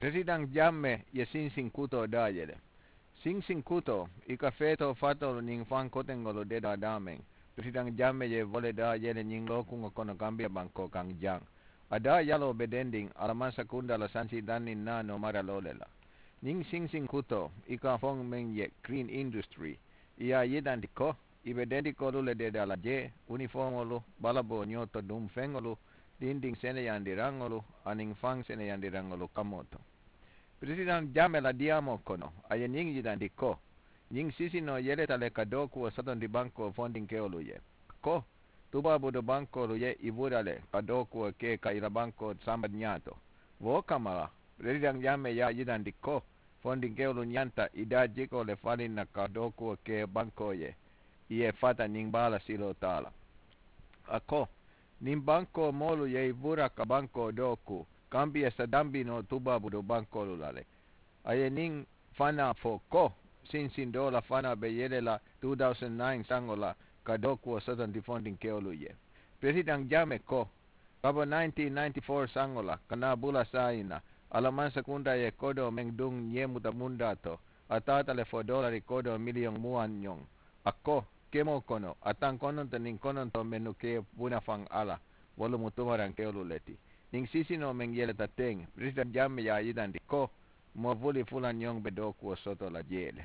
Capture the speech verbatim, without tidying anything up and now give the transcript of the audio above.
Peresidaŋ jamme ye sinsiŋ kutoo daayele. Sinsiŋ kutoo i ka feetoo fatoolu niŋ faŋ koteŋolu dedaa daameŋ. Peresidaŋ jamme ye wo le daayele ñiŋ lookuŋo kono kambiya bankoo kaŋ jaŋ. A daayaloo be dendiŋ a la mansakundaa la sansi danniŋ naanoo maraloo le la. Ñiŋ sinsiŋ kutoo i ka a foŋ meŋ ye kiriin indusitirii, i ye a yitandi ko i be dendikoolu le dedaa la jee, unifoomoolu, balaboo ñoo to duŋ feŋolu, dindiŋ seneyandiraŋolu aniŋ faŋ seneyandiraŋolu kamoo to. Peresidaŋ jamme la diyaamoo kono a ye ñiŋ yitandi ko ñiŋ sisinoo yeleta le ka dookuwo sotondi bankoo fondinkewolu ye. Ko tubaabudu bankoolu ye i bula le ka dookuwo ke ka i la bankoo samba ñaato. Wo kamma la peresidaŋ jamme ye a yitandi ko fondinkewolu ñanta i daa jikoo le faliŋ na ka dookuwo ke bankoo ye, i ye fata ñiŋ baa la siloo taa la. A ko niŋ bankoo moolu ye i bula ka bankoo dooku kambiya sa dambi noo tubaabudu bankoolu la le. A ye niŋ fanaa fo ko sinsiŋ doo la fanaa be yele la two thousand nine saŋo la ka dookuwo sotondi fondinkewolu ye. Peresidaŋ jaame ko ka bo nineteen ninety-four saŋo la ka naa bula saayiŋ na, a la mansakundaa ye kodoo meŋ duŋ ñeemuta mundaa to, a taata le fo doolari kodoo miliyoŋ muwaŋ ñoŋ. A ko kemoo kono a taŋ kononto niŋ kononto mennu ke bunafaŋ a la, wolu mu tumarankewolu le ti. Niŋ sisinoo meŋ yeleta teŋ, peresidaŋ jaame ye a yitandi ko moo buli fula ñoŋ be dookuwo soto la jee le.